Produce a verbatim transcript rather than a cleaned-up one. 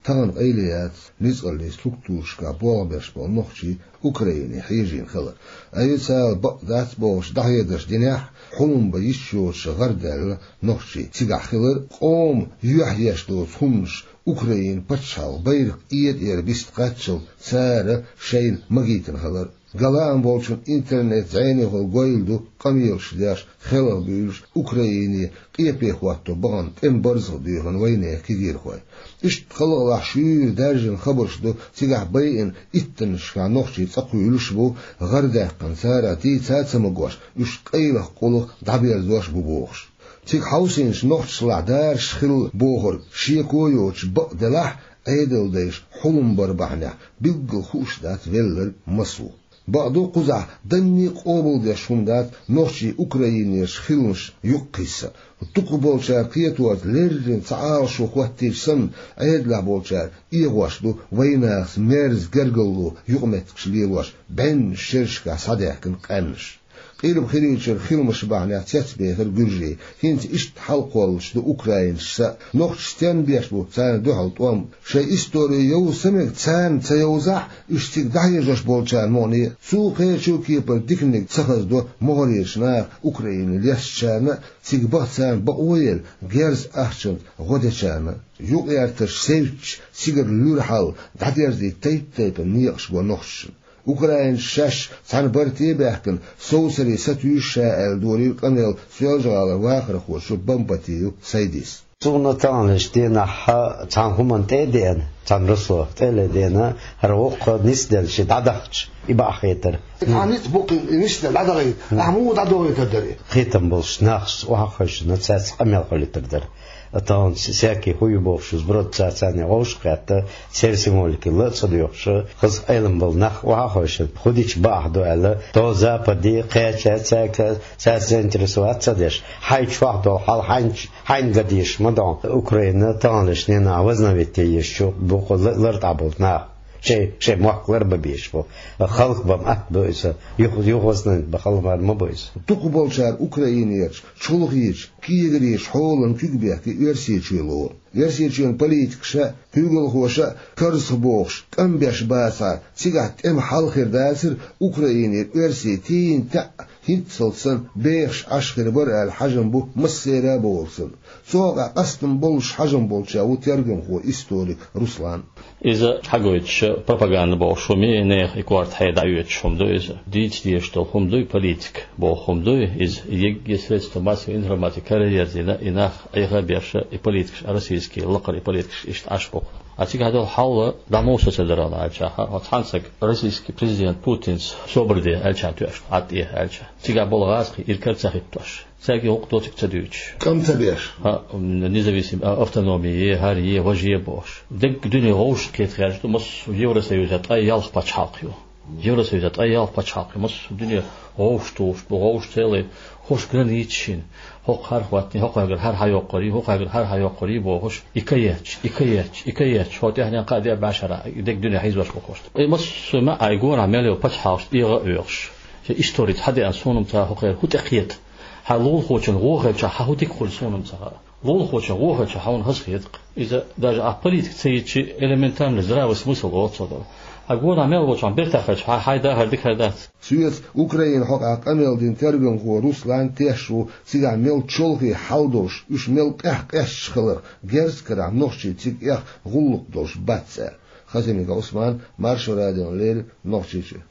тахана къайле яц ницкъаллийн структурашкахь болх беш болу нохчий Украине хьежийна хилар. Официалан бакъ дац бохуш дӀахьедарш динехь а, хьулам бан йиш йоцуш гӀардаьлла нохчий цигахь хилар, къоман юьхь еш доцу хӀуманаш Украин пачхьалкхан байракх тӀера биста кхаччалц цара шайна магийтина хилар. Галаам болчун интернет зӀенехула гойла ду къамелаш деш, хелхабуьйлуш Украине къепе хӀотто бахана тӀеман барзах доьхна вайнехан кегийрхой. Иштта халкъалахь шуьйра даьржина хабарш ду, цигахь байина иттаннашкахь нохчий цӀа кхуьйлуш а бу, гӀардаьккхина царах дийца а ца магош, уьш къайлаха къулах дӀаберзош а бу бохуш. Цига хьовсийначу нохчашлахь дараш хилла бохург шеко йоцуш бакъ делахь а, Ӏедалдайша хьулам бар бахьанехь билггал хууш дац велларг массо а. Бакъду, кхузахь данне а къобалдеш хӀума дац нохчий Украинерчу хиламаш юкъакхиссар. Дукхахболчара кхеторца леррина цхьа Ӏалашо хӀоттийча санна, Ӏедалехь болчара эгӀош ду вайнахаца мерза гергарло юкъаметтигаш лелош бӀеннаш шерашкахь схьадаьхкина къаьмнаш. Къилба хилийчуьра хиламаш бахьанехь цецбехира гуьржий. ХӀинца иштта хьалакхоллуш ду украинцаша а. Нохчаша стенна беш бу царна дуьхьал тӀом? Шайн истори йовза ца мега, царна ца йовзахь а, уьш цига дӀахьежош болчарна мукъане а. Цу кхечу а кепара диканиг ца хазадо могӀарерчу наха, Украине лестачарна а, цига баха царна бакъо а елла, герз ахчанца гӀо дечарна а. Юкъ-эртарш севцча, цигара луьра хьал дӀадерзийта тайп-тайпана некъаш го нохчашна. Украинцаша шаьш цхьана барте а баьхкина, совсаре сатуьйсу ша аьлла, долийра къамел Соьлжа-ГӀалара вахархочо Бамбатиев Сайдис. Суна таханлерчу денахь цхьана хӀуманна тӀе а деана, цхьана росо тӀе а ледеана, хӀара воккха нисделла ши дӀадахча, и бакъахь хетара. Цхьана ницкъ бу-кх и нисделла дӀадахийта, ахьа муха дӀадохуьйтур дара и? Кхетам болчу нахаца охьа а хевшина, цаьрца къамел хилийтар дара. Тахана с-, саьркий хӀу ю бохуш, сброд ца царна вовшах кхетта, церан символикалла а ца доьхуш, хаза Ӏелам болу нах охьа а хевшина, хӀу дича бакъахь ду аьлла, то Западе кхеча цаьрга, цаьрца заинтересоваться ца деш, хьайн чохь долу хьал хьайн, хьайна ган дезаш ма ду. Украина таханлерчу денахь возобновить е езаш ю бу-кх ла-, лартӀехь болу нах. Шайн, шайн мохк ларбан безаш бу. Халкъ бан атта бу иза. Юха, юха возобновить бан хала мара ма бу иза. Дукхахболчара Украинерчу чолхечу кегареша хьолана куьг бехке Оьрсийчоь лору. Оьрсийчоьнан политикаша а, куьйгалхоша а карзахбохуш, кӀам беш бацахьара, цигахь тӀеман хьал хир дацара, Украинера оьрсий тийна таьӀӀа хӀинццалц санна бехаш Ӏаш хир бара аьлла хьажам бу массеран а бовлу санна. Цу хьокъехь къастам боллуш хьажам болчех ву тергамхо, историк Руслан. Иза хьагойтуш пропаганда бохуш хӀума ю, нехан и корта хье дӀаоьцуш хӀума ду иза. Дийца дезаш долу хӀума дуй, политика боху хӀума дуй. Иза егге средства массовой информации караерзийна, и нах Ӏеха а беш, и политикаш, а российский лакхара и политикаш иштта Ӏаш бу-кх. А цигахь долу хьал дӀа муса ца дара аьлча, хьо цхьана сага российский президент Путинца собар де аьлча тоьшна, Ӏад тӀе аьлча. Цигахь болу гӀазкхий иракара ца хӀиттош. Цаьрга гӀуллакх доцург ца дуьйцуш. КӀам ца беш. А, независим, а, автономия е, хӀара е, важа е бохуш. Дерриг дуьне вовшахкхета хьаьжна ду, массо а Евросоюзехь ткъе ялх пачхьалкх ю. Евросоюзехь ткъе ялх пачхьалкх ю, массо а дуьне вовшахтухуш бу, вовшах цӀе лай, хӀорш границаш йина. ХӀокху хӀара хӀоттийна, хӀокхуьнгара хӀара хьайоккхур ю, хӀокхуьнгара хӀара хьайоккхур ю бохуш, и ка етташ, и ка етташ, и ка етташ, хӀо тӀаьхьенна кхаа де а бӀаьшхьара, и дерриг дуьне хьийзош бу хӀорш. И массо а маьӀӀехь гора мел йолу пачхьалкхаш тӀегӀа а оьхуш. Шен истори цхьа деана суна-м ца хӀокхеран хӀу тӀекхета. Хьан лулахочун вохуьйтуш хьан хӀу дика хуьлу суна-м ца хаьа. Лулахочун вохуьйтуш хьуна хаза хета-кх. Иза даже ахь политика ца йичи, элементарный здравый смысл оццо дара. Хьан гонах мел волчохь бертахь хилча, хьан хьайн дахар дика хир дац. Соьца Украина хьокъехь къамел дина тергамхо Руслан тешаш ву, цигахь мел чолхе хьал долуш, уьш мел къаьхкъаьсташ хиларх, герз карахь нохчий цига эха гӀуллакх долуш бац аьлла. Хасимиков Ӏусман, Маршо радиона леррина, Нохчийчоь.